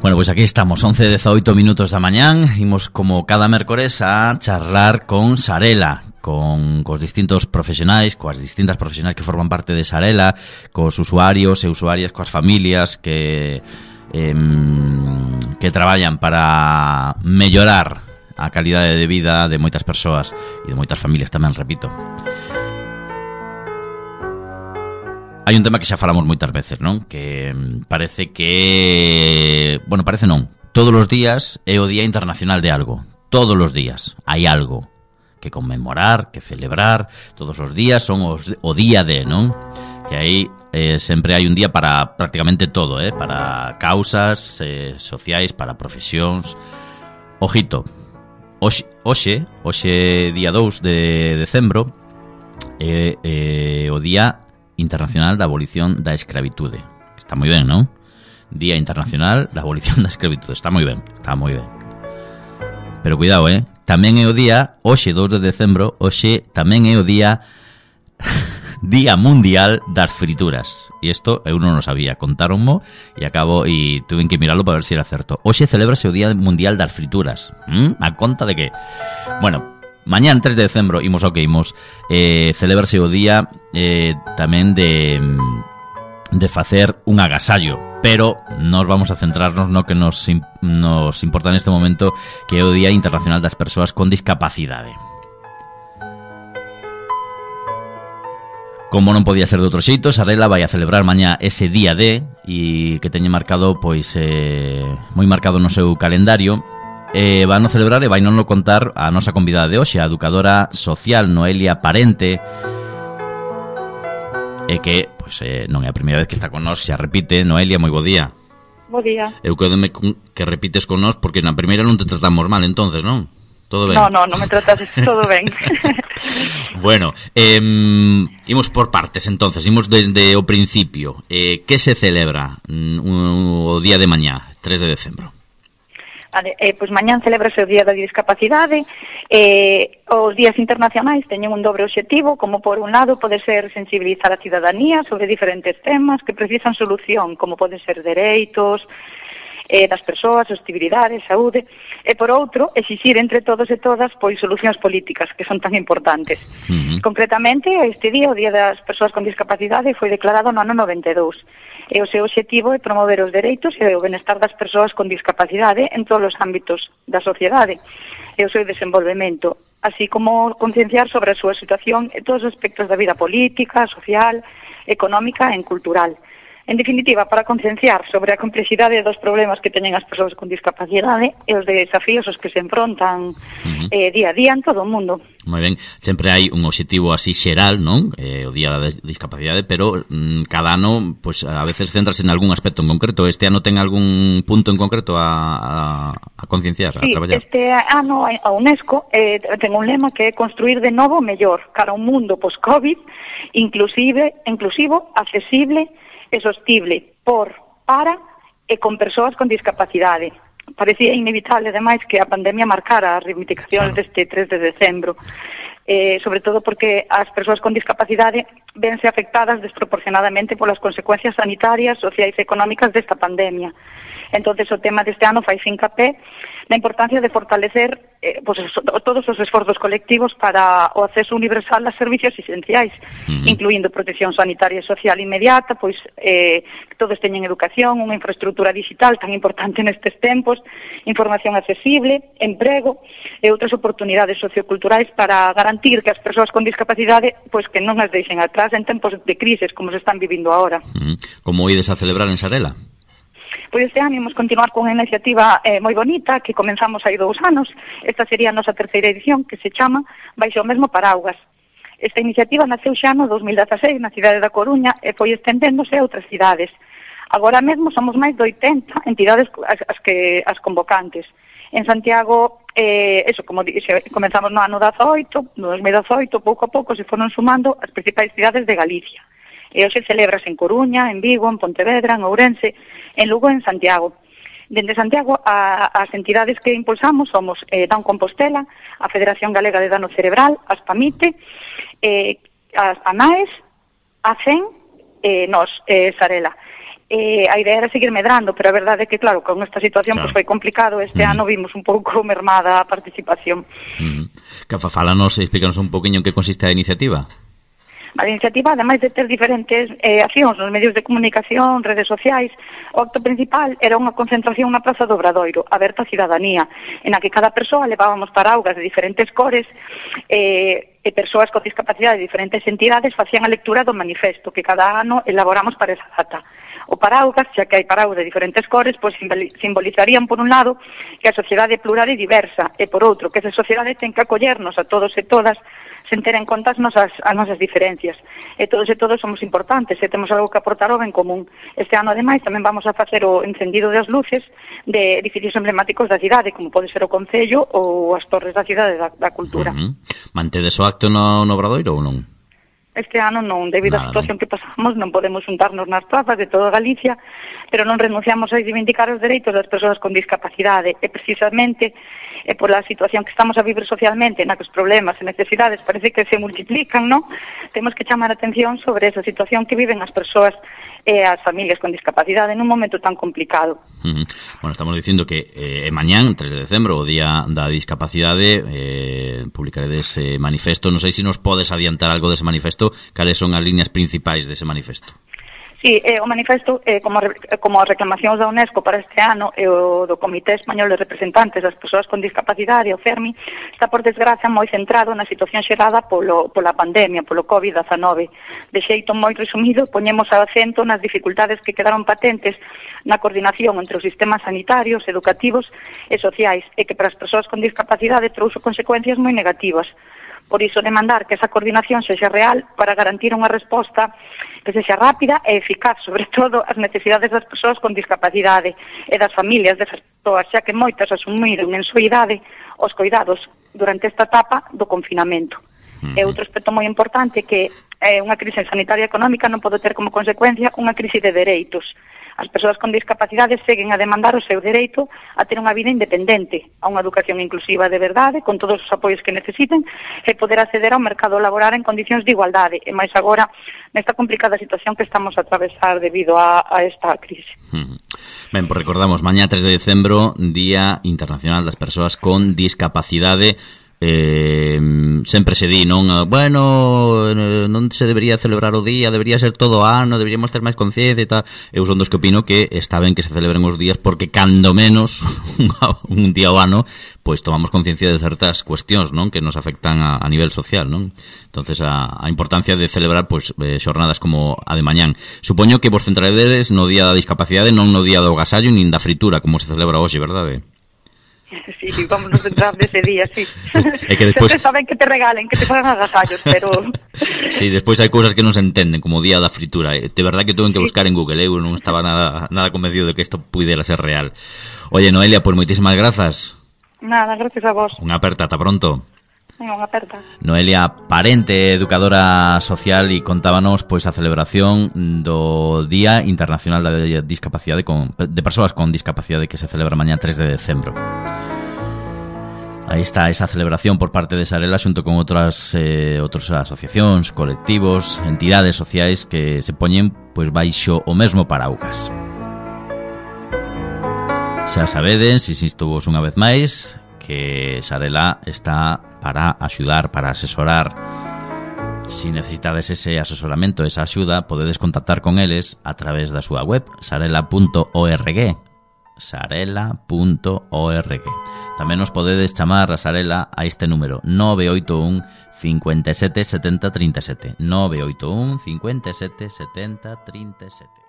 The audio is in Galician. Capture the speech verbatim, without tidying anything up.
Bueno, pois pues aquí estamos, once e dezaoito minutos da mañán. Imos como cada mércores a charlar con Sarela, con cos distintos profesionais, coas distintas profesionais que forman parte de Sarela, cos usuarios e usuarias, coas familias que eh, que traballan para mellorar a calidade de vida de moitas persoas e de moitas familias tamén, repito. Hai un tema que xa falamos moitas veces, non? Que parece que... Bueno, parece non. Todos os días é o Día Internacional de algo. Todos os días hai algo que conmemorar, que celebrar. Todos os días son os, o día de, non? Que aí eh, sempre hai un día para prácticamente todo, eh? Para causas eh, sociais, para profesións. Ojito, hoxe, hoxe, hoxe día dous de decembro, é eh, eh, o Día Internacional da Abolición da Escravitude. Está moi ben, non? Día Internacional da Abolición da Escravitude. Está moi ben, está moi ben. Pero cuidado, eh? Tamén é o día, hoxe dous de decembro, hoxe tamén é o día Día Mundial das Frituras. E isto eu non o sabía, contáronmo e acabo e tuve que mirarlo para ver se era certo. Hoxe celebrase o Día Mundial das Frituras. ¿Mm? A conta de que? Bueno, mañán tres de decembro, imos ao que imos, eh, celebrase o día eh, tamén de, de facer un agasallo. Pero nos vamos a centrarnos no que nos, nos importa neste momento, que é o Día Internacional das Persoas con Discapacidade. Como non podía ser de outro xeito, Sarela vai a celebrar mañá ese día D e que teñe marcado, pois, eh, moi marcado no seu calendario. Eh, van a celebrar e vai non lo contar a nosa convidada de hoxe, a educadora social Noelia Parente, e que, pois, eh, non é a primeira vez que está con nós, xa repite. Noelia, moi bo día. Bo día. Eu quedome que repites con nós porque na primeira non te tratamos mal, entonces, non? Todo ben? No, no, non me tratas todo ben. Bueno, eh, imos por partes, entonces, imos desde o principio. Eh, que se celebra mm, o día de mañá, tres de decembro? Vale, eh, pois mañán celebrase o Día da Discapacidade. Eh, os días internacionais teñen un dobre obxectivo, como por un lado pode ser sensibilizar a cidadanía sobre diferentes temas que precisan solución, como pode ser dereitos eh, das persoas, sostenibilidade, saúde, e por outro, exixir entre todos e todas pois solucións políticas que son tan importantes. Uh-huh. Concretamente, este día, o Día das Persoas con Discapacidade, foi declarado no ano noventa e dous. E o seu obxectivo é promover os dereitos e o benestar das persoas con discapacidade en todos os ámbitos da sociedade e o seu desenvolvemento, así como concienciar sobre a súa situación en todos os aspectos da vida política, social, económica e cultural. En definitiva, para concienciar sobre a complexidade dos problemas que teñen as persoas con discapacidade e os desafíos aos que se enfrontan uh-huh. eh, día a día en todo o mundo. Moi ben, sempre hai un obxectivo así xeral, non? Eh, o Día da Discapacidade, pero mm, cada ano, pues, a veces centrase en algún aspecto en concreto. Este ano ten algún punto en concreto a, a, a concienciar, sí, a traballar? Sí, este ano a UNESCO eh, ten un lema que é construir de novo mellor cara a un mundo post-COVID, inclusive, inclusivo, accesible e sostible por, para e con persoas con discapacidade. Parecía inevitable, ademais, que a pandemia marcara as reivindicacións claro. deste tres de decembro, eh, sobre todo porque as persoas con discapacidade vense afectadas desproporcionadamente polas consecuencias sanitarias, sociais e económicas desta pandemia. Entonces o tema deste ano fai fincapé na importancia de fortalecer eh, pues, todos os esforzos colectivos para o acceso universal a servicios esenciais, uh-huh. incluindo protección sanitaria e social inmediata, pois eh, todos teñen educación, unha infraestructura digital tan importante nestes tempos, información accesible, emprego e outras oportunidades socioculturais para garantir que as persoas con discapacidade pois que non as deixen atrás en tempos de crises como se están vivindo agora. Uh-huh. Como ides a celebrar en Sarela? Pois este ano imos continuar con unha iniciativa eh, moi bonita que comenzamos hai dous anos. Esta sería a nosa terceira edición, que se chama Baixo o mesmo paraugas. Esta iniciativa naceu xa no dos mil dezaseis na cidade da Coruña e foi estendéndose a outras cidades. Agora mesmo somos máis de oitenta entidades as, as que as convocantes. En Santiago, eh, eso, como dixe, comenzamos no ano dezaoito, no dos mil dezaoito, pouco a pouco se foron sumando as principais cidades de Galicia. E hoxe celebras en Coruña, en Vigo, en Pontevedra, en Ourense, en Lugo e en Santiago. Dende Santiago, a, as entidades que impulsamos somos eh, Down Compostela, a Federación Galega de Dano Cerebral, as PAMITE, eh, as ANAES, a CEN e eh, nos, eh, Sarela. eh, a idea era seguir medrando, pero a verdade é que, claro, con esta situación claro. pues, foi complicado. Este uh-huh. ano vimos un pouco mermada a participación. Uh-huh. Cafa, fálanos, explícanos un poquinho en que consiste a iniciativa. A iniciativa, ademais de ter diferentes eh, accións nos medios de comunicación, redes sociais, o acto principal era unha concentración na Praza do Obradoiro, aberta á cidadanía, en a que cada persoa levábamos paraugas de diferentes cores eh, e persoas con discapacidade de diferentes entidades facían a lectura do manifesto que cada ano elaboramos para esa data. O paraugas, xa que hai paraugas de diferentes cores, pois simbolizarían, por un lado, que a sociedade é plural e diversa, e por outro, que esa sociedade ten que acollernos a todos e todas sen ter en conta as nosas, as nosas diferencias. E todos e todos somos importantes e temos algo que aportar ao ben común. Este ano, ademais, tamén vamos a facer o encendido das luces de edificios emblemáticos da cidade, como pode ser o Concello ou as torres da cidade da, da cultura. Uh-huh. Mantedes o acto no, no Obradoiro ou non? Este ano non, debido á situación que pasamos, non podemos juntarnos nas plazas de toda Galicia, pero non renunciamos a reivindicar os dereitos das persoas con discapacidade, e precisamente e por a situación que estamos a vivir socialmente, na que os problemas e necesidades parece que se multiplican, non? Temos que chamar a atención sobre esa situación que viven as persoas e as familias con discapacidade nun momento tan complicado. Uh-huh. Bueno, estamos dicindo que eh, mañán, tres de decembro, o Día da Discapacidade, eh, publicaredes ese manifesto. Non sei se nos podes adiantar algo dese manifesto, cales son as líneas principais dese manifesto. Sí, eh, o manifesto, eh, como, como as reclamacións da UNESCO para este ano e o do Comité Español de Representantes das Persoas con Discapacidade, o FERMI, está por desgracia moi centrado na situación xerada polo, pola pandemia, polo covid dezanove. De xeito moi resumido, poñemos o acento nas dificultades que quedaron patentes na coordinación entre os sistemas sanitarios, educativos e sociais, e que para as persoas con discapacidade trouxo consecuencias moi negativas. Por iso demandar que esa coordinación sexa real para garantir unha resposta que sexa rápida e eficaz, sobre todo as necesidades das persoas con discapacidade e das familias desas persoas, xa que moitas asumiron en súa idade os cuidados durante esta etapa do confinamento. Uh-huh. E outro aspecto moi importante que é unha crise sanitaria económica non pode ter como consecuencia unha crise de dereitos. As persoas con discapacidade seguen a demandar o seu dereito a ter unha vida independente, a unha educación inclusiva de verdade, con todos os apoios que necesiten, e poder acceder ao mercado laboral en condicións de igualdade, e máis agora nesta complicada situación que estamos a atravesar debido a, a esta crise. Uh-huh. Ben, pues recordamos, mañá tres de decembro, Día Internacional das Persoas con Discapacidade. Eh, sempre se di, non, bueno, non se debería celebrar o día, debería ser todo ano, deberíamos ter máis conciencia e tal. Eu son dos que opino que está ben que se celebren os días porque cando menos un día ao ano pois tomamos conciencia de certas cuestións, non, que nos afectan a, a nivel social, non? Entonces a, a importancia de celebrar pois eh, xornadas como a de mañán. Supoño que vos centraredes no Día da Discapacidade, non no Día do Agasallo nin da fritura como se celebra hoxe, verdade? Sí, sí, vamos a centrar dese día, sí. É que despois... Sempre saben que te regalen, que te fagan agasallos, pero... Sí, despois hai cousas que non se entenden, como o Día da Fritura. De verdad que tuve que buscar en Google, eu non estaba nada nada convencido de que isto puidera ser real. Oye, Noelia, pois pues moitísimas grazas. Nada, gracias a vos. Unha aperta, ata pronto. Unha aperta. Noelia Parente, educadora social, e contábanos pois a celebración do Día Internacional da Discapacidade con, de Persoas con Discapacidade que se celebra mañá tres de decembro. Aí está esa celebración por parte de Sarela xunto con outras eh, outras asociacións, colectivos, entidades sociais que se poñen pois baixo o mesmo paraugas. Xa sabedes, insisto vos unha vez máis, que Sarela está para axudar, para asesorar. Si necesitades ese asesoramento, esa axuda, podedes contactar con eles a través da súa web, sarela punto org. sarela punto org. Tamén nos podedes chamar a Sarela a este número nove oito un, cinco sete, sete cero, tres sete, nove oito un, cinco sete, sete cero, tres sete.